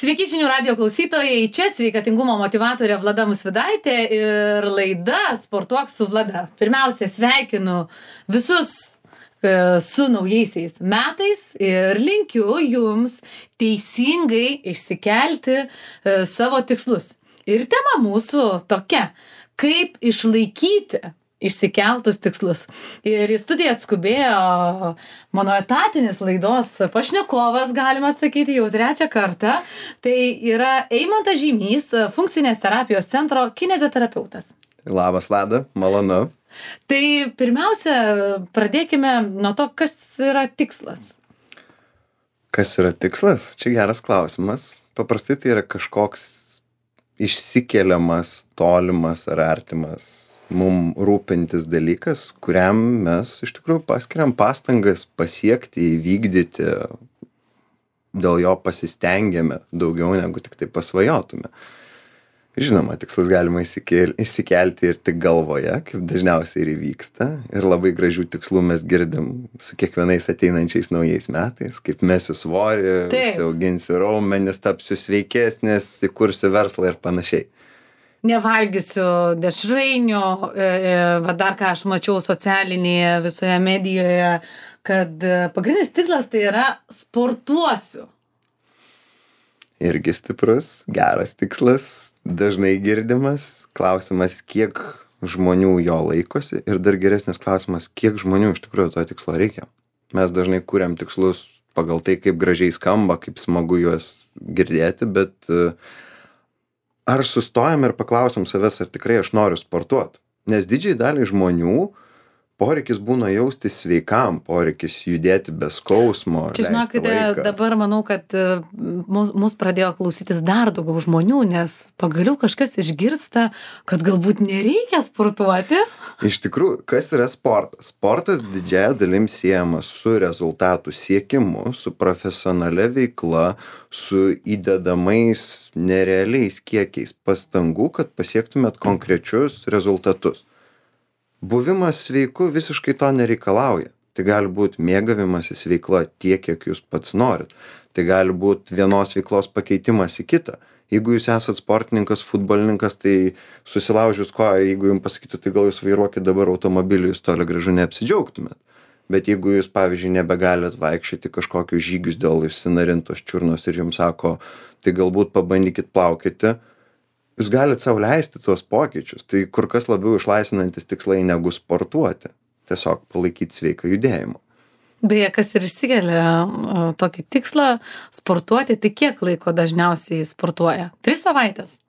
Sveiki žinių radijo klausytojai, čia sveikatingumo motyvatorė Vlada Musvidaitė ir laida Sportuok su Vlada. Pirmiausia, sveikinu visus su naujaisiais metais ir linkiu jums teisingai išsikelti savo tikslus. Ir tema mūsų tokia, kaip išlaikyti išsikeltus tikslus. Ir į studiją atskubėjo mano etatinis laidos pašnekovas, galima sakyti, jau trečią kartą. Tai yra Eimantas Žymys, funkcinės terapijos centro kineziterapeutas. Labas, Vlada, malonu. Tai pirmiausia, pradėkime nuo to, kas yra tikslas. Kas yra tikslas? Čia geras klausimas. Paprastai tai yra kažkoks išsikeliamas, tolimas ar artimas mum rūpintis dalykas, kuriam mes iš tikrųjų paskiriam pastangas pasiekti, įvykdyti, dėl jo pasistengėme daugiau negu tik tai pasvajotume. Žinoma, tikslus galima išsikelti ir tik galvoje, kaip dažniausiai ir įvyksta. Ir labai gražių tikslų mes girdim su kiekvienais ateinančiais naujais metais, kaip mesiu svorį, užsiauginsiu raumenis, tapsiu sveikesnis, įkursiu verslą ir panašiai. Nevalgysiu dešrainių, va dar ką aš mačiau socialinėje visoje medijoje, kad pagrindinis tikslas tai yra sportuosiu. Irgi stiprus, geras tikslas, dažnai girdimas, klausimas, kiek žmonių jo laikosi ir dar geresnis klausimas, kiek žmonių iš tikrųjų to tikslo reikia. Mes dažnai kuriam tikslus pagal tai, kaip gražiai skamba, kaip smagu juos girdėti, bet ar sustojam ir paklausim savęs, ar tikrai aš noriu sportuoti? Nes didžiai daliai žmonių poreikis būna jaustis sveikam, poreikis judėti be skausmo. Čia žinokite, dabar manau, kad mus pradėjo klausytis dar daugiau žmonių, nes pagaliau kažkas išgirsta, kad galbūt nereikia sportuoti. Iš tikrųjų, kas yra sportas? Sportas didžiąja dalim siejamas su rezultatų siekimu, su profesionalia veikla, su įdedamais nerealiais kiekiais pastangų, kad pasiektumėt konkrečius rezultatus. Buvimas sveiku visiškai to nereikalauja. Tai gali būti mėgavimasis veikla tiek, kiek jūs pats norit. Tai gali būti vienos veiklos pakeitimas į kitą. Jeigu jūs esat sportininkas, futbolininkas, tai susilaužius koją, jeigu jums pasakytų, tai gal jūs vairuokit dabar automobilį, jūs toli gražu neapsidžiaugtumėt. Bet jeigu jūs, pavyzdžiui, nebegalit vaikščioti kažkokius žygius dėl išsinarintos čiurnos ir jums sako, tai galbūt pabandykit plaukyti, jūs galite sau leisti tuos pokyčius. Tai kur kas labiau išlaisvinantis tikslai negu sportuoti. Tiesiog palaikyti sveiką judėjimą. Beje, kas ir išsikelia tokį tikslą sportuoti, tai kiek laiko dažniausiai sportuoja? 3 savaitės?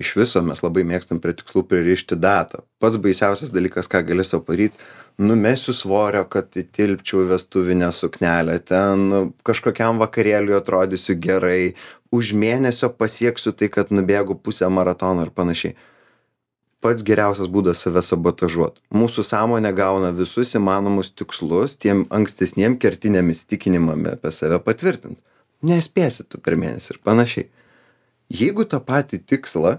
Iš viso mes labai mėgstam prie tikslų pririšti datą. Pats baisiausias dalykas, ką gali sau padaryti, numesiu svorio, kad įtilpčiau vestuvinę suknelę, ten kažkokiam vakarėliui atrodysiu gerai, už mėnesio pasieksiu tai, kad nubėgu pusę maratono ir panašiai. Pats geriausias būdas save sabotažuoti. Mūsų sąmonė gauna visus įmanomus tikslus, tiem ankstesniem kertiniam įsitikinimam apie save patvirtinti. Nespėsi tu per mėnesį ir panašiai. Jeigu tą patį tikslą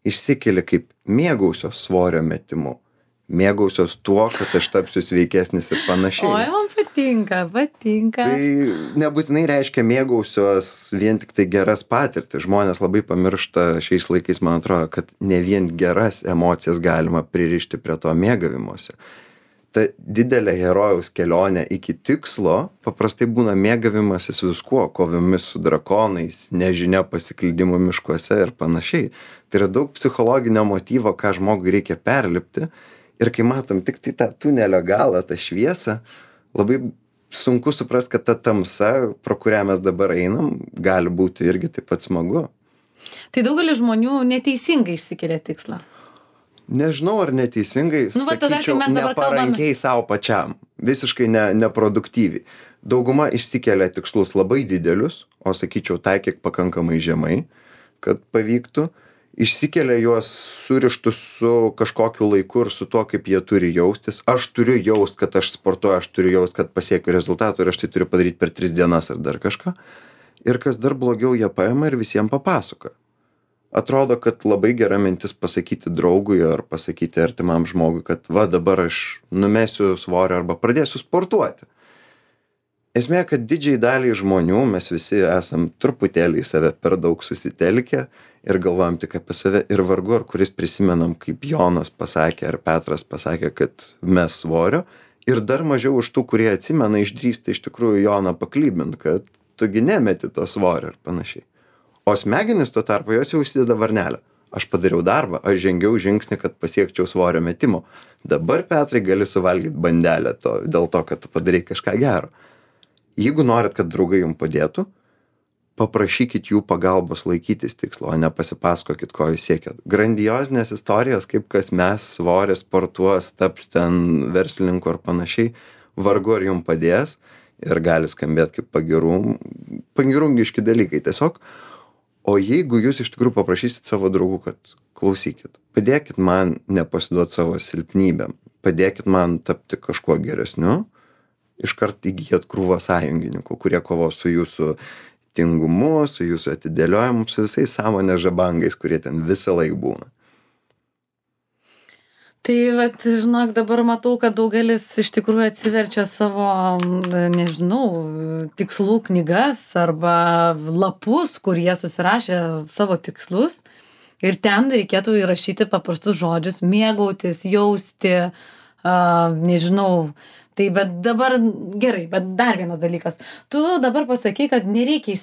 išsikeli kaip mėgausios svorio metimu, mėgausios tuo, kad aš tapsiu sveikesnis ir panašiai. Oi, man patinka. Tai nebūtinai reiškia mėgausios vien tik tai geras patirtis. Žmonės labai pamiršta šiais laikais, man atrodo, kad ne vien geras emocijas galima pririšti prie to mėgavimuose. Ta didelė herojaus kelionė iki tikslo paprastai būna mėgavimasis viskuo, kovomis su drakonais, nežinia pasiklydimu miškuose ir panašiai. Tai yra daug psichologinio motyvo, ką žmogui reikia perlipti. Ir kai matom tik tai tą tunelio galą, tą šviesą, labai sunku suprasti, kad ta tamsa, pro kurią mes dabar einam, gali būti irgi taip pat smagu. Tai daugelis žmonių neteisingai išsikelia tikslą. Nežinau, ar neteisingai, sakyčiau, neparankiai savo pačiam, visiškai neproduktyviai. Dauguma išsikelia tikslus labai didelius, o sakyčiau, taikyk pakankamai žemai, kad pavyktų. Išsikelia juos surištus su kažkokiu laiku ir su to, kaip jie turi jaustis. Aš turiu jaust, kad aš sportuoju, aš turiu jaust, kad pasiekiu rezultatų ir aš tai turiu padaryti per 3 dienas ar dar kažką. Ir kas dar blogiau, jie paima ir visiems papasakoja. Atrodo, kad labai gera mintis pasakyti draugui ar pasakyti artimam žmogui, kad va dabar aš numesiu svorio arba pradėsiu sportuoti. Esmė, kad didžiai daliai žmonių mes visi esam truputėlį į save per daug susitelkę ir galvojam tik apie save ir vargu ar kuris prisimenam, kaip Jonas pasakė ar Petras pasakė, kad mes svorio ir dar mažiau už tų, kurie atsimena, išdrįsta iš tikrųjų Joną paklybint, kad tugi nemeti to svorio ir panašiai. O smegenys tuo tarpu jos jau užsideda varnelę. Aš padariau darbą, aš žengiau žingsnį, kad pasiekčiau svorio metimo. Dabar, Petrai, gali suvalgyti bandelę dėl to, kad tu padarai kažką gero. Jeigu norit, kad draugai jums padėtų, paprašykit jų pagalbos laikytis tikslo, o ne pasipasakokit, ko jūs siekiat. Grandiozinės istorijos, kaip kas mes svorį sportuos, taps ten verslininku ar panašiai, vargu ar jums padės ir gali skambėti kaip pagirungiški dalykai tiesiog. O jeigu jūs iš tikrųjų paprašysit savo draugų, kad klausykit, padėkit man nepasiduoti savo silpnybėm, padėkit man tapti kažkuo geresniu, iškart įgyjat krūvą sąjungininkų, kurie kovos su jūsų tingumu, su jūsų atidėliojimu, su visais sąmonės žabangais, kurie ten visą laiką būna. Tai, vat, žinok, dabar matau, kad daugelis iš tikrųjų atsiverčia savo, nežinau, tikslų knygas arba lapus, kur jie susirašė savo tikslus ir ten reikėtų įrašyti paprastus žodžius, mėgautis, jausti, nežinau. Tai bet dabar gerai, bet dar vienas dalykas. Tu dabar pasakei, kad nereikia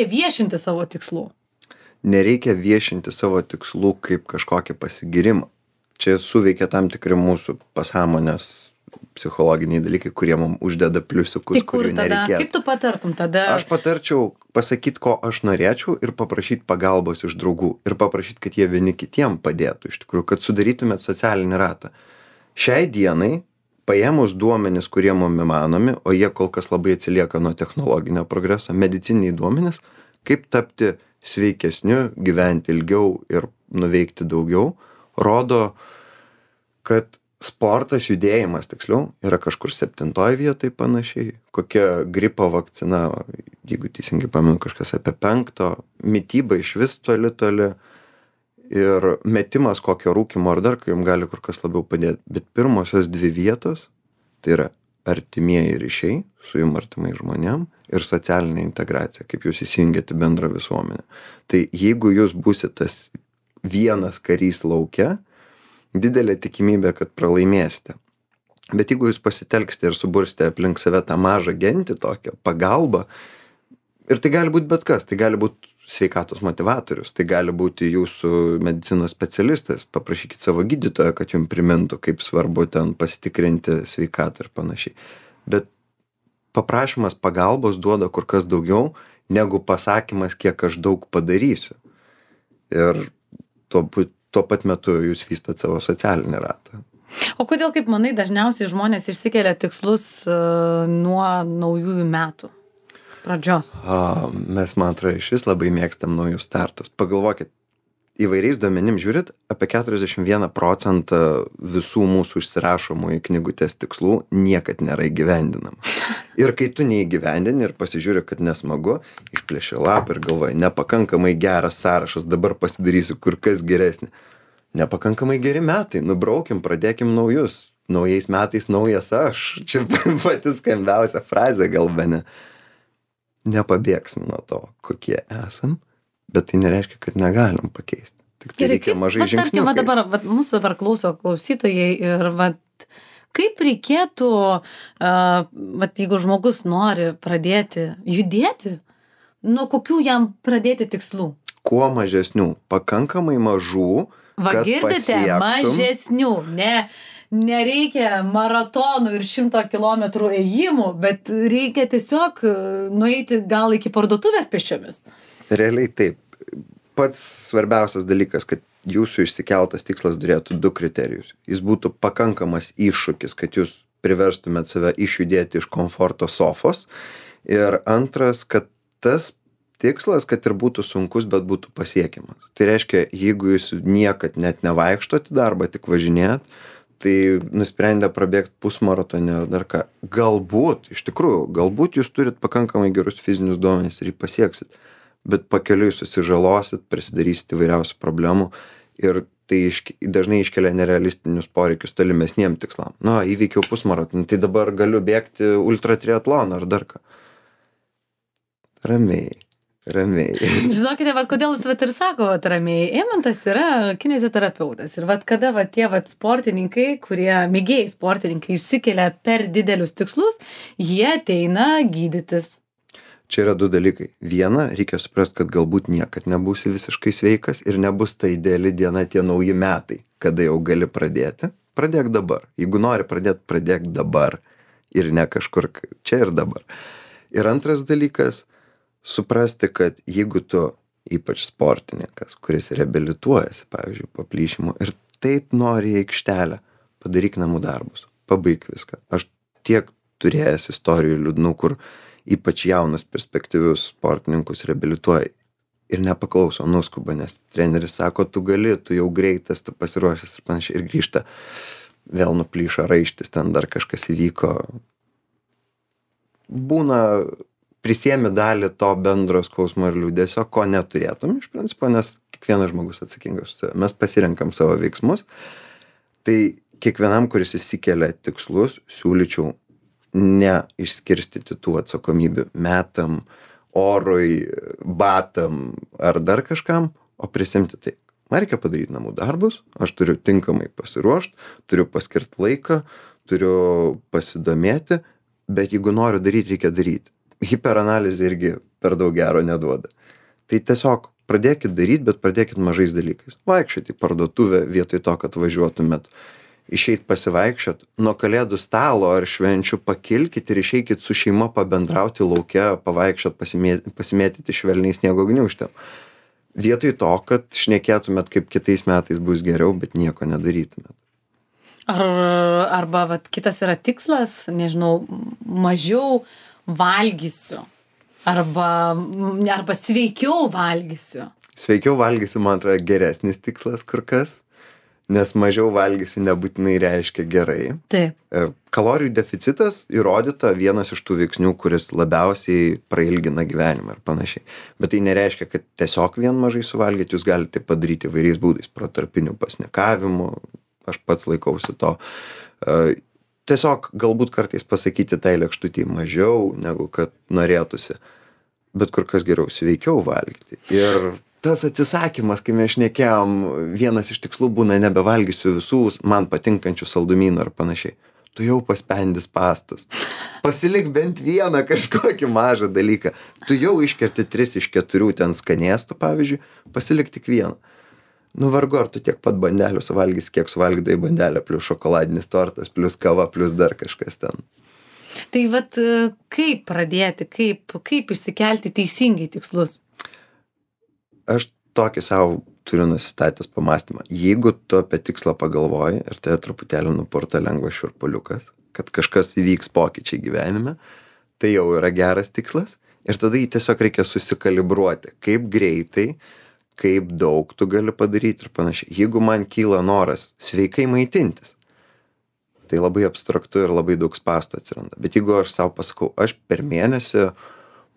viešinti savo tikslų. Nereikia viešinti savo tikslų kaip kažkokį pasigirimą. Čia suveikia tam tikri mūsų pasąmonės psichologiniai dalykai, kurie mums uždeda pliusiukus, kurių nereikėtų. Kaip tu patartum tada? Aš patarčiau pasakyti, ko aš norėčiau ir paprašyti pagalbos iš draugų. Ir paprašyti, kad jie vieni kitiem padėtų, iš tikrųjų, kad sudarytumėt socialinį ratą. Šiai dienai paėmus duomenis, kurie mums įmanomi, o jie kol kas labai atsilieka nuo technologinio progreso, medicininiai duomenis, kaip tapti sveikesniu, gyventi ilgiau ir nuveikti daugiau, rodo, kad sportas, judėjimas, tiksliau, yra kažkur 7 vietoj panašiai, kokia gripo vakcina, jeigu teisingai pamenu, kažkas apie 5, mityba iš vis toli, ir metimas kokio rūkymo ar dar, kai jums gali kur kas labiau padėti. Bet pirmosios 2 vietos, tai yra artimieji ryšiai su jums artimai žmonėm ir socialinė integracija, kaip jūs įsijungiate bendrą visuomenę. Tai jeigu jūs būsite tas vienas karys lauke, didelė tikimybė, kad pralaimėsite. Bet jeigu jūs pasitelksite ir subursite aplink save tą mažą gentį tokią, pagalbą, ir tai gali būti bet kas, tai gali būti sveikatos motivatorius, tai gali būti jūsų medicinos specialistas, paprašykit savo gydytoją, kad jums primintų, kaip svarbu ten pasitikrinti sveikatą ir panašiai. Bet paprašymas pagalbos duoda kur kas daugiau, negu pasakymas, kiek aš daug padarysiu. Ir tuo pat metu jūs vystat savo socialinį ratą. O kodėl, kaip manai, dažniausiai žmonės išsikelia tikslus nuo naujųjų metų pradžios? Mes, man atrodo, iš vis labai mėgstam naujus startus. Pagalvokit, įvairiais duomenim žiūrit, apie 41% visų mūsų užsirašomų į knygutės tikslų niekad nėra įgyvendinama. Ir kai tu neįgyvendini ir pasižiūri, kad nesmagu, išplėši lapą ir galvoji, nepakankamai geras sąrašas, dabar pasidarysiu kur kas geresnį. Nepakankamai geri metai, nubraukim, pradėkim naujus. Naujais metais naujas aš. Čia pati skambiausia frazė gal bene. Nepabėgsim nuo to, kokie esam, bet tai nereiškia, kad negalim pakeisti. Tik tai reikia mažai žingsniukais. Dabar mūsų dabar klauso klausytojai ir kaip reikėtų, jeigu žmogus nori pradėti judėti, nuo kokių jam pradėti tikslų? Kuo mažesnių, pakankamai mažų, kad girdite, pasiektum. Mažesnių, nereikia maratonų ir 100 kilometrų ėjimų, bet reikia tiesiog nueiti gal iki parduotuvės pėsčiomis. Realiai taip. Pats svarbiausias dalykas, kad jūsų išsikeltas tikslas turėtų 2 kriterijus. Jis būtų pakankamas iššūkis, kad jūs priverstumėt save išjudėti iš komforto sofos. Ir antras, kad tas tikslas, kad ir būtų sunkus, bet būtų pasiekiamas. Tai reiškia, jeigu jūs niekad net nevaikštot į darbą, tik važinėjat, tai nusprendę prabėgti pusmaratonį ar dar ką. Galbūt, iš tikrųjų, galbūt jūs turit pakankamai gerus fizinius duomenis ir jį pasieksit, bet pakeliui susižalosit, prisidarysit įvairiausių problemų ir tai dažnai iškelia nerealistinius poreikius tolimesniem tikslam. Įveikiau pusmaratonį, tai dabar galiu bėgti ultra triatloną ar dar ką. Ramiai. Žinokite, kodėl jūs ir sako ramiai. Eimantas yra kineziterapeutas. Ir kada tie sportininkai, kurie mėgėjai sportininkai išsikelia per didelius tikslus, jie ateina gydytis. Čia yra 2 dalykai. Viena, reikia suprasti, kad galbūt niekad nebūsi visiškai sveikas ir nebus ta ideali diena, tie nauji metai, kada jau gali pradėti. Pradėk dabar. Jeigu nori pradėti, pradėk dabar. Ir ne kažkur čia ir dabar. Ir antras dalykas, suprasti, kad jeigu tu, ypač sportininkas, kuris reabilituojasi, pavyzdžiui, po plyšimų ir taip nori į aikštelę, padaryk namų darbus, pabaik viską. Aš tiek turėjęs istorijų liūdnų, kur ypač jaunus perspektyvius sportininkus reabilituoja ir nepaklauso, nuskuba, nes treneris sako, tu gali, tu jau greitas, tu pasiruošęs ir panašiai, ir grįžta, vėl nuplyšo raištis, ten dar kažkas įvyko. Būna prisiemi dalį to bendro skausmo ir liūdesio, ko neturėtum iš principo, nes kiekvienas žmogus atsakingas. Mes pasirenkam savo veiksmus. Tai kiekvienam, kuris įsikelia tikslus, siūlyčiau neišskirstyti tų atsakomybių metam, orui, batam ar dar kažkam, o prisimti tai. Man reikia padaryti namų darbus, aš turiu tinkamai pasiruošti, turiu paskirti laiką, turiu pasidomėti, bet jeigu noriu daryti, reikia daryti. Hiperanalizė irgi per daug gero neduoda. Tai tiesiog pradėkit daryti, bet pradėkit mažais dalykais. Vaikščioti į parduotuvę vietoj to, kad važiuotumėt. Išeit pasivaikščiot, nuo kalėdų stalo ar švenčių pakilkit ir išeikit su šeima pabendrauti lauke, pavaikščiot, pasimėtyti švelniai sniego gniūžtėm. Vietoj to, kad šnekėtumėt, kaip kitais metais bus geriau, bet nieko nedarytumėt. Arba kitas yra tikslas, nežinau, mažiau valgysiu arba sveikiau valgysiu. Sveikiau valgysiu, man atrodo, geresnis tikslas kur kas, nes mažiau valgysiu nebūtinai reiškia gerai. Taip. Kalorijų deficitas įrodyta vienas iš tų veiksnių, kuris labiausiai prailgina gyvenimą ir panašiai. Bet tai nereiškia, kad tiesiog vien mažai suvalgyti, jūs galite padaryti įvairiais būdais, protarpiniu pasnikavimu, aš pats laikausi to. Tiesiog galbūt kartais pasakyti tai lėkštutį mažiau, negu kad norėtųsi, bet kur kas geriau sveikiau valgyti. Ir tas atsisakymas, kai mes šnekėjom, vienas iš tikslų būna nebevalgysiu visų man patinkančių saldumynų ar panašiai. Tu jau paspendis pastus. Pasilik bent vieną kažkokį mažą dalyką. Tu jau iškerti 3 iš 4 ten skanėstų, pavyzdžiui, pasilik tik vieną. Vargu, ar tu tiek pat bandelių suvalgys, kiek suvalgydai bandelę, plus šokoladinis tortas, plus kava, plus dar kažkas ten. Tai kaip pradėti, kaip išsikelti teisingai tikslus? Aš tokį savo turiu nusistatęs pamąstymą. Jeigu tu apie tikslą pagalvoji ir tai truputėlį nupurta lengvas šiurpuliukas, kad kažkas įvyks pokyčiai gyvenime, tai jau yra geras tikslas ir tada jį tiesiog reikia susikalibruoti, kaip greitai, kaip daug tu gali padaryti ir panašiai. Jeigu man kyla noras sveikai maitintis, tai labai abstraktu ir labai daug spąstų atsiranda. Bet jeigu aš savo pasakau, aš per mėnesį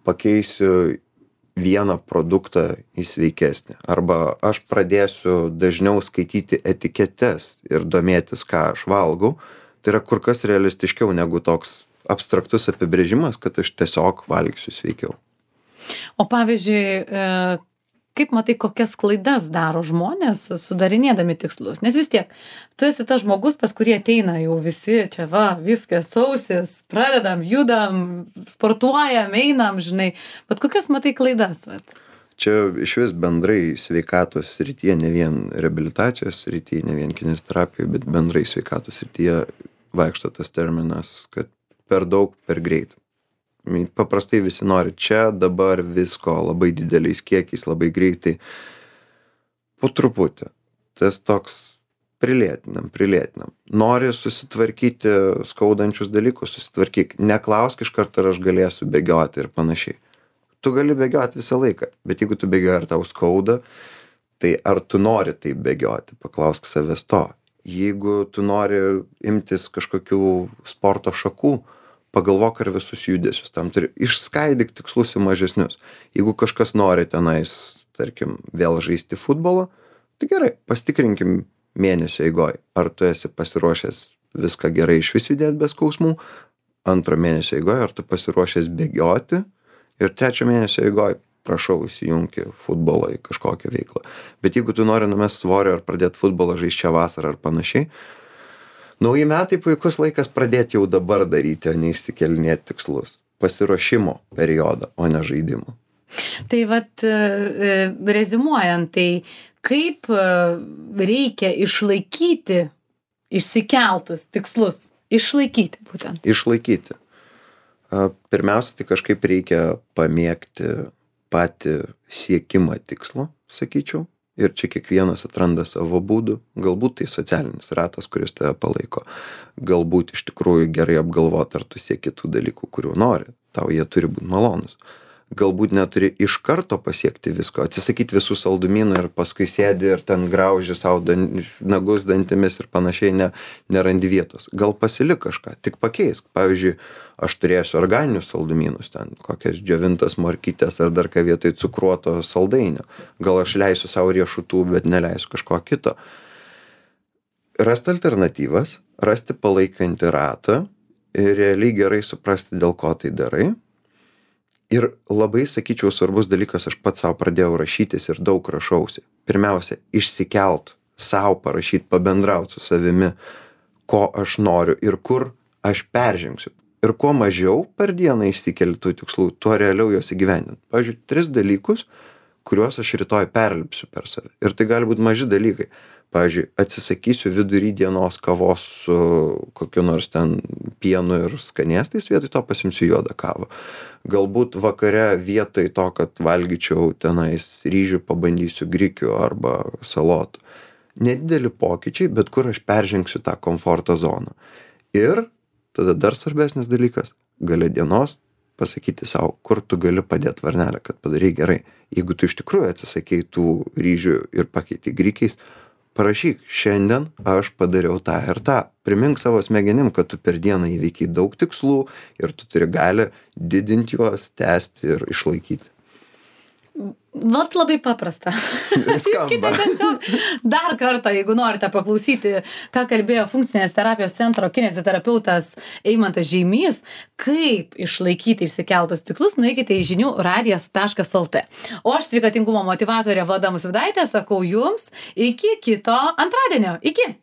pakeisiu vieną produktą į sveikesnį, arba aš pradėsiu dažniau skaityti etiketes ir domėtis, ką aš valgau, tai yra kur kas realistiškiau negu toks abstraktus apibrėžimas, kad aš tiesiog valgysiu sveikiau. O pavyzdžiui, kaip matai, kokias klaidas daro žmonės sudarinėdami tikslus? Nes vis tiek, tu esi tas žmogus, pas kurį ateina jau visi, čia viskas sausis, pradedam, judam, sportuojam, einam, žinai. Bet kokias matai klaidas? Čia iš vis bendrai sveikatos srityje, ne vien reabilitacijos srityje, ne vien kineziterapijos, bet bendrai sveikatos srityje vaikšto tas terminas, kad per daug, per greit. Paprastai visi nori čia, dabar visko, labai dideliais kiekiais, labai greitai. Po truputį. Tas toks prilėtinam. Nori susitvarkyti skaudančius dalykus, susitvarkyk. Neklausk iš karto, ar aš galėsiu bėgioti ir panašiai. Tu gali bėgioti visą laiką, bet jeigu tu bėgioji ar tau skauda, tai ar tu nori taip bėgioti? Paklausk savęs to. Jeigu tu nori imtis kažkokių sporto šakų, pagalvok, ar visus judesius tam turi. Išskaidyk tikslus į mažesnius. Jeigu kažkas nori tenais, tarkim, vėl žaisti futbolą, Tai gerai, pasitikrinkim mėnesio eigoj, ar tu esi pasiruošęs viską gerai išvis judėt be skausmų, antro mėnesio eigoj, ar tu pasiruošęs bėgioti, ir trečio mėnesio eigoj, prašau, įsijungi futbolą į kažkokią veiklą. Bet jeigu tu nori numest svorio ar pradėti futbolą žaisti šią vasarą ar panašiai, nauji metai puikus laikas pradėti jau dabar daryti, o ne išsikelinėti tikslus. Pasiruošimo periodą, o ne žaidimo. Tai vat, reziumuojant, tai kaip reikia išlaikyti išsikeltus tikslus? Išlaikyti būtent. Išlaikyti. Pirmiausia, tai kažkaip reikia pamėgti patį siekimą tikslo, sakyčiau. Ir čia kiekvienas atranda savo būdų. Galbūt tai socialinis ratas, kuris tave palaiko. Galbūt iš tikrųjų gerai apgalvoti, ar tu sieki tų dalykų, kurių nori. Tau jie turi būti malonus. Galbūt neturi iš karto pasiekti visko, atsisakyti visų saldumynų ir paskui sėdi ir ten grauži savo nagus dantimis ir panašiai, nerandi vietos. Gal pasilik kažką, tik pakeisk. Pavyzdžiui, aš turėsiu organinius saldumynus, ten kokias džiovintas morkytės ar dar ką vietoj cukruoto saldainio. Gal aš leisiu savo riešutų, bet neleisiu kažko kito. Rasti alternatyvas, rasti palaikantį ratą ir realiai gerai suprasti, dėl ko tai darai. Ir labai, sakyčiau, svarbus dalykas, aš pats savo pradėjau rašytis ir daug rašausi. Pirmiausia, išsikelt, savo parašyti, pabendrauti su savimi, ko aš noriu ir kur aš peržengsiu. Ir kuo mažiau per dieną išsikeli tų tikslų, tuo realiau juos įgyvendinti. Pavyzdžiui, 3 dalykus, kuriuos aš rytoj perlipsiu per save. Ir tai gali būti maži dalykai. Pavyzdžiui, atsisakysiu vidury dienos kavos su kokiu nors ten pienu ir skanėstais, vietoj to pasimsiu juodą kavą. Galbūt vakare vietoj to, kad valgyčiau tenais ryžių, pabandysiu grikių arba salotų. Nedideli pokyčiai, bet kur aš peržengsiu tą komforto zoną. Ir tada dar svarbesnis dalykas, gale dienos pasakyti savo, kur tu gali padėti varnelę, kad padarai gerai. Jeigu tu iš tikrųjų atsisakei tų ryžių ir pakeiti grikiais, parašyk, šiandien aš padariau tą ir tą. Primink savo smegenim, kad tu per dieną įveikiai daug tikslų ir tu turi gali didinti juos, tęsti ir išlaikyti. Vat labai paprasta. Skamba. Tiesiog dar kartą, jeigu norite paklausyti, ką kalbėjo funkcinės terapijos centro kineziterapeutas Eimantas Žeimys, kaip išlaikyti išsikeltus tikslus, nueikite į žinių-radijas.lt. O aš sveikatingumo motyvatorė Vlada Musvydaitė sakau jums iki kito antradienio. Iki!